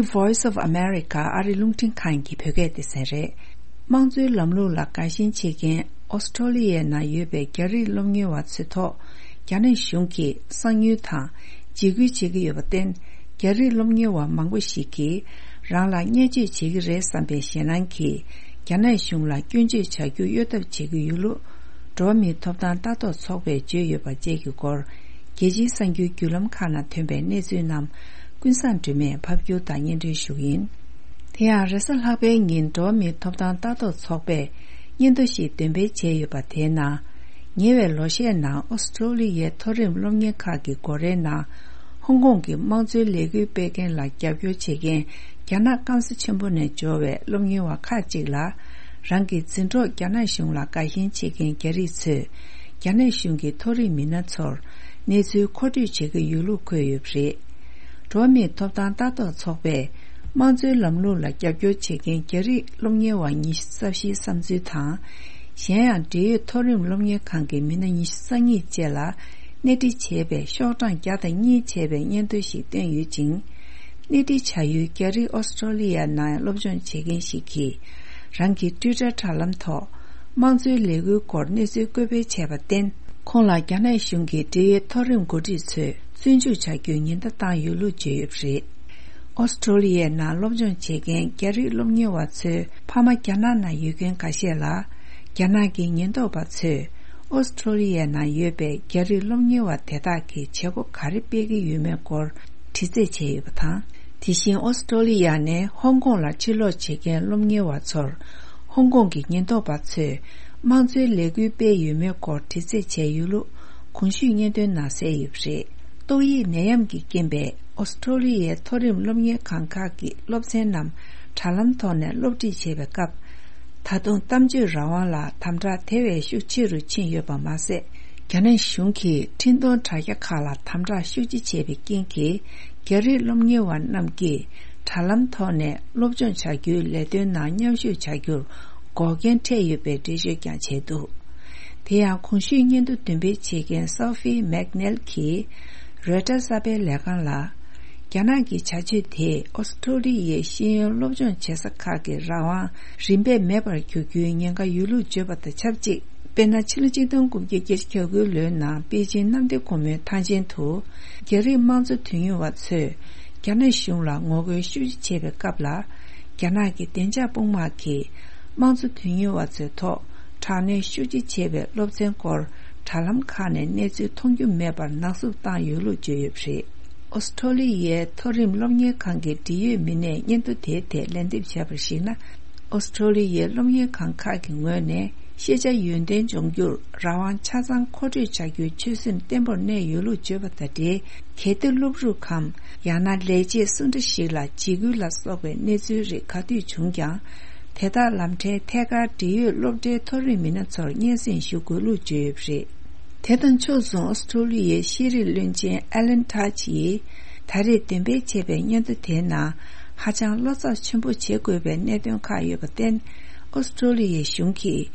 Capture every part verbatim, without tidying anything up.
Voice of America ཨ་རི་རླུང་འཕྲིན་ཁང་གི་བོད་སྐད་སྡེ་ཚན་རེད། དམངས་གཙོའི་ལམ་ལུགས་ལ་དགའ་ཞེན་བྱེད་མཁན་ཨོ་སི་ཀྲོ་ལི་ཡའི་ནང་ཡོད་པའི་རྒྱ་རིགས་སློབ་གཉེར་བ་ཚོའི་ཐོག་རྒྱ་ནག་གཞུང་གིས་གསང་ཉུལ་དང་འཇིགས་སྐུལ་བྱེད་ཀྱི་ཡོད་པར་བརྟེན། རྒྱ་རིགས་སློབ་གཉེར་བ་མང་པོ་ཞིག་གིས་རང་ལ་བརྙས་བཅོས་བྱེད་ཀྱི་རེད་བསམ་པའི་ཞེད་སྣང་གིས་རྒྱ་ནག་གཞུང་ལ་སྐྱོན་བརྗོད་བྱ་རྒྱུ་གཡོལ་ཐབས་བྱེད་ཀྱི་ཡོད་ལུགས། འགྲོ་བ་མིའི་ཐོབ་ཐང་ལྟ་རྟོག་ཚོགས་པས་བརྗོད་ཡོད་པ་བཅས་ཀྱི་སྐོར། རྒྱལ་སྤྱིའི་གསར་འགྱུར་བརྒྱུད་ལམ་ཁག་ནང་ཐོན་པའི་གནས་ཚུལ་རྣམས་ཀུན་བཟང་སྒྲོལ་མས་ཕབ་སྒྱུར་དང་སྙན་སྒྲོན་ཞུ་གི་ཡིན། དེ་ཡང་རེས་གཟའ་ལྷག་པའི་ཉིན་འགྲོ་བ་མིའི་ཐོབ་ཐང་ལྟ་རྟོག་ཚོགས་པས་སྙན་ཐོ་ཞིག་འདོན་སྤེལ་བྱས་ཡོད་པ་དེའི་ནང་། ཉེ་བའི་ལོ་ཤས་ནང་ཨོ་སི་ཀྲོ་ལི་ཡའི་མཐོ་རིམ་སློབ་གཉེར་ཁག་གི་སྒོ་རའི་ནང་། ཧོང་ཀོང་གི་དམངས་གཙོའི་ལས་འགུལ་སྤེལ་མཁན་ལ་རྒྱབ་སྐྱོར་བྱེད་མཁན་རྒྱ་ནག་སྐམ་ས་ཆེན་པོ་ནས་འབྱོར་བའི་སློབ་གཉེར་བ་ཁག་ཅིག་ལ། རང་གི་འཛིན་གྲོགས་རྒྱ་ནག་གཞུང་ལ་དགའ་ཞེན་བྱེད་མཁན་རྒྱ་རིགས་ཚོས། རྒྱ་ནག་གཞུང་གི་མཐོ་རིམ་མི་སྣ་ཚོར་གནས་ཚུལ་མཁོ་སྤྲོད་བྱེད་ཀྱི་ཡོད་ལུགས་འཁོད་ཡོད་པ་རེད། འགྲོ་བ་མིའི་ཐོབ་ཐང་ལྟ་རྟོག་ཚོགས་པས། དམངས་གཙོའི་ལམ་ལུགས་ལ་རྒྱབ་སྐྱོར་བྱེད་མཁན་རྒྱ་རིགས་སློབ་གཉེར་བ་ཉི་ཤུ་རྩ་བཞིའི་བསམ་ཚུལ་དང་། གཞན་ཡང་འབྲེལ་ཡོད་མཐོ་རིམ་སློབ་གཉེར་ཁང་གི་མི་སྣ་ཉི་ཤུ་རྩ་གཉིས་བཅས་ལ་སྣེ་ཁྲིད་བྱས་པའི་ཤོག་གྲངས་བརྒྱ་དང་གཉིས་བཅས་པའི་སྙན་ཐོ་ཞིག་བཏོན་ཡོད་ཅིང་། སྣེ་ཁྲིད་བྱ་ཡུལ་རྒྱ་རིགས་ཨོ་སི་ཀྲོ་ལི་ཡ་ནང་སློབ་སྦྱོང་བྱེད་མཁན་ཞིག་གིས། རང་གི་ཊུའི་ཊར་དྲ་ལམ་ཐོག་དམངས་གཙོའི་ལས་འགུལ་སྐོར་གནས་ཚུལ་བཀོད་སྤེལ་བྱས་པར་བརྟེན། ཁོང་ལ་རྒྱ་ནག་གཞུང་གི་འབྲེལ་ཡོད་མཐོ་རིམ་འགོ་ཁྲིད་ཚོས་བཙོན་འཇུག་བྱ་རྒྱུའི་ཉེན་བརྡ་བཏང་ཡོད་ལུགས་བརྗོད་ཡོད་པ་རེད། ཨོ་སི་ཀྲོ་ལི་ཡའི་ནང་སློབ་སྦྱོང་བྱེད་མཁན་རྒྱ་རིགས་སློབ་གཉེར་བ་ཚོའི་ཕ་མ་རྒྱ་ནག་ནང་ཡོད་མཁན་འགའ་ཤས་ལ། རྒྱ་ནག་གི་ཉེན་རྟོག་པ་ཚོས་ཨོ་སི་ཀྲོ་ལི་ཡའི་ནང་ཡོད་པའི་རྒྱ་རིགས་སློབ་གཉེར་བ་དེ་དག་གིས་བྱེད་སྒོ་ག་རེ་སྤེལ་གྱི་ཡོད་མེད་སྐོར་དྲི་རྩད་བྱས་ཡོད་པ་དང་། དེ་བཞིན་ཨོ་སི་ཀྲོ་ལི་ཡ་ནས་ཧོང་ཀོང་ལ་ཕྱིར་ལོག་བྱེད་མཁན་སློབ་གཉེར་བ་ཚོར། ཧོང་ཀོང་གི་ཉེན་རྟོག་པ་ཚོས་དམངས་གཙོའི་ལས་འགུལ་སྤེལ་ཡོད་མེད་སྐོར་དྲི་རྩད་བྱས་ཡོད་ལུགས་གོང་ཞུས་སྙན་ཐོའི་ནང་གསལ་ཡོད་པ་རེད། ཏོག་དབྱིབས་ནད་ཡམས་ཀྱི་རྐྱེན་པས་ཨོ་སི་ཀྲོ་ལི་ཡའི་མཐོ་རིམ་སློབ་གཉེར་ཁང་ཁག་གི་སློབ་ཚན་རྣམས་དྲ་ལམ་ཐོག་ནས་སློབ་ཁྲིད་བྱེད་པའི་སྐབས། ད་དུང་གཏམ་བརྗོད་རང་དབང་ལ་དམ་དྲག་དེ་བས་ཤུགས་ཆེ་རུ་ཕྱིན་ཡོད་པ་མ་ཟད། རྒྱ་ནག་གཞུང་གིས་འཕྲིན་གཏོང་དྲ་རྒྱ་ཁག་ལ་དམ་དྲག་ཤུགས་ཆེ་བྱས་པའི་རྐྱེན་གྱིས། རྒྱ་རིགས་སློབ་གཉེར་བ་རྣམས་ཀྱིས་དྲ་ལམ་ཐོག་ནས་སློབ་སྦྱོང་བྱ་རྒྱུའི་ལས་དོན་ནང་མཉམ་ཞུགས་བྱ་རྒྱུར་འགོག་རྐྱེན་འཕྲད་ཡོད་པའི་འགྲེལ་བརྗོད་ཀྱང་བྱས་འདུག་དེ་ཡང་གོང་ཞུས་སྙན་ཐོ་འདོན་སྤེལ་བྱེད་མཁན་Sophie McNeil གྱིས་Reuters གསར་པའི་ལས་ཁང་ལ། རྒྱ་ནག་གི་བྱ་སྤྱོད་དེས་ཨོ་སི་ཀྲོ་ལི་ཡའི་ཤེས་ཡོན་སློབ་སྦྱོང་བྱེད་ས་ཁག་གི་རང་དབང་རིམ་པས་མེད་པར་གྱུར་རྒྱུའི་ཉེན་ཁ་ཡོད་ལུགས་བརྗོད་པ་དང་ཆབས་ཅིག་དཔེར་ན། ཕྱི་ལོ་ཆིག་སྟོང་དགུ་བརྒྱ་བརྒྱད་ཅུ་གྱ་དགུའི་ལོའི་ནང་པེ་ཅིན་གནམ་བདེ་སྒོ་མོའི་ཐང་ཆེན་དུ། རྒྱ་རིགས་དམངས་གཙོ་དོན་གཉེར་བ་ཚོས་རྒྱ་ནག་གཞུང་ལ་ངོ་རྒོལ་ཤུགས་ཆེ་བྱེད་པའི་སྐབས་ལ། རྒྱ་ནག་གི་བདེ་འཇགས་དཔུང་དམག་གིས་དམངས་གཙོ་དོན་གཉེར་བ་ཚོའི་ཐོག་དྲག་གནོན་ཤུགས་ཆེ་བྱས་པའི་སློབ་ཚན་སྐོར་དྲ་ལམ་ཁག་ནས་གནས་ཚུལ་མཐོང་རྒྱུ་མེད་པར་ནག་བསུབ་བཏང་ཡོད་ལུགས་བརྗོད་ཡོད་པ་རེད། ཨོ་སི་ཀྲོ་ལི་ཡའི་མཐོ་རིམ་སློབ་གཉེར་ཁང་གི་འབྲེལ་ཡོད་མི་སྣས་སྙན་ཐོ་དེའི་ཐད་ལན་འདེབས་བྱས་པར་གཞིགས་ན། ཨོ་སི་ཀྲོ་ལི་ཡའི་སློབ་གཉེར་ཁང་ཁག་གི་ངོས་ནས་ཤེས་བྱ་ཡོན་ཏན་སྦྱོང་རྒྱུར་རང་དབང་ཆ་ཚང་མཁོ་སྤྲོད་བྱ་རྒྱུའི་ཆོད་སེམས་བརྟན་པོར་གནས་ཡོད་ལུགས་བརྗོད་པ་དང་འབྲེལ། གལ་ཏེ་སློབ་ཕྲུག་གམ་ཡང་ན་ལས་བྱེད་སུ་འདྲ་ཞིག་ལ་འཇིགས་སྐུལ་ལ་སོགས་པའི་གནས་ཚུལ་རིགས་ག་དུས་བྱུང་ཀྱང་། དེ་དག་ལམ་ཕྲན་ཐད་ཀར་འབྲེལ་ཡོད་སློབ་གྲྭའི་མཐོ་རིམ་མི་སྣ་ཚོར་སྙན་སེང་ཞུ་དགོས་ལུགས་བརྗོད་ཡོད་པ་རེད། དེ་དང་ཕྱོགས་མཚུངས་ཨོ་སི་ཀྲོ་ལི་ཡའི་ཤེས་རིག་བློན་ཆེན་Alan Tudge ཡིས་ད་རེས་འདོན་སྤེལ་བྱས་པའི་སྙན་ཐོ་དེའི་ནང་ཧ་ཅང་བློ་འཚབ་ཆེན་པོ་བྱེད་དགོས་པའི་གནད་དོན་ཁག་ཡོད་པར་བརྟེན། ཨོ་སི་ཀྲོ་ལི་ཡའི་གཞུང་གིས་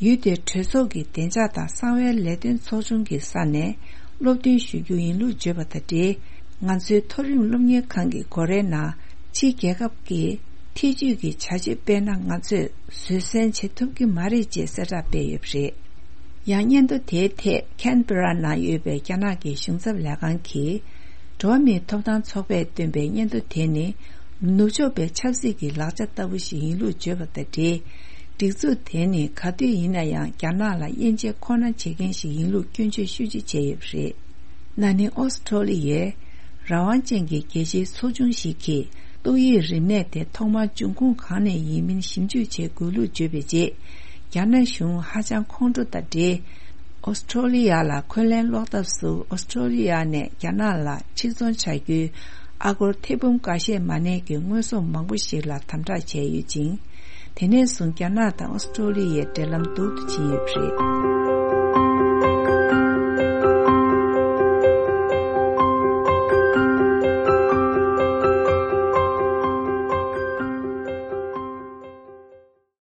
ཡུལ་དེའི་གྲོས་ཚོགས་ཀྱི་བདེ་འཇགས་དང་གསང་བའི་ལས་དོན་ཚོགས་ཆུང་གི་ས་ནས་སློབ་སྟོན་ཞུ་རྒྱུ་ཡིན་ལུགས་བརྗོད་པ་དང་འབྲེལ། ང་ཚོའི་མཐོ་རིམ་སློབ་གཉེར་ཁང་གི་སྒོ་རའི་ནང་ཕྱིའི་རྒྱལ་ཁབ་ཀྱིས་ཐེ་ཇུས་ཀྱི་བྱ་སྤྱོད་སྤེལ་ན་ང་ཚོས་བཟོད་བསྲན་བྱེད་ཐུབ་ཀྱི་མ་རེད་ཅེས་གསལ་བསྒྲགས་སྤེལ་ཡོད་པ་རེད། ཡང་སྙན་ཐོ་དེའི་ཐད་ཁན་བྷེ་ར་ནང་ཡོད་པའི་རྒྱ་ནག་གི་གཞུང་ཚབ་ལས་ཁང་གིས། འགྲོ་བ་མིའི་ཐོབ་ཐང་ཚོགས་པས་བཏོན་པའི་སྙན་ཐོ་དེ་ནི་ནུབ་ཕྱོགས་པའི་ཆབ་སྲིད་ཀྱི་ལག་ཆ་ལྟ་བུ་ཞིག་ཡིན་ལུགས་བརྗོད་པ་དང་འབྲེལ། སྒྲིག་འཛུགས་དེ་ནི་ག་དུས་ཡིན་ན་ཡང་རྒྱ་ནག་ལ་དབྱེ་འབྱེད་ཁོ་ན་བྱེད་མཁན་ཞིག་ཡིན་ལུགས་སྐྱོན་བརྗོད་ཤུགས་ཆེ་བྱས་ཡོད་པ་རེད། ན་ནིང་ཨོ་སི་ཀྲོ་ལི་ཡའི་རང་དབང་ཅན་གྱི་རྒྱལ་སྤྱིའི་ཚོགས་ཆུང་ཞིག་གིས་ཏོག་དབྱིབས་རིམས་ནད་དེ་ཐོག་མར་འབྱུང་ཁུངས་གང་ནས་ཡིན་མིན་ཞིབ་འཇུག་བྱེད་དགོས་ལུགས་བརྗོད་པའི་རྗེས། རྒྱ་ནག་གཞུང་ཧ་ཅང་ཁོང་ཁྲོ་དང་འབྲེལ། ཨོ་སི་ཀྲོ་ལི་ཡ་ལ་འཁོན་ལན་སློག་ཐབས་སུ་ཨོ་སི་ཀྲོ་ལི་ཡ་ནས་རྒྱ་ནག་ལ་ཕྱིར་ཚོང་བྱ་རྒྱུའི་ཨ་སྒོར་ཐེར་འབུམ་འགའ་ཤས་མ་ནས་ཀྱི་དངོས་ཟོག་མང་པོ་ཞིག་ལ་དམ་དྲག་བྱས་ཡོད་ཅིང་། དེ་ནས་བཟུང་རྒྱ་ནག་དང་ཨོ་སི་ཀྲོ་ལི་ཡའི་འབྲེལ་ལམ་སྡུག་ཏུ་ཕྱིན་ཡོད་པ་རེད།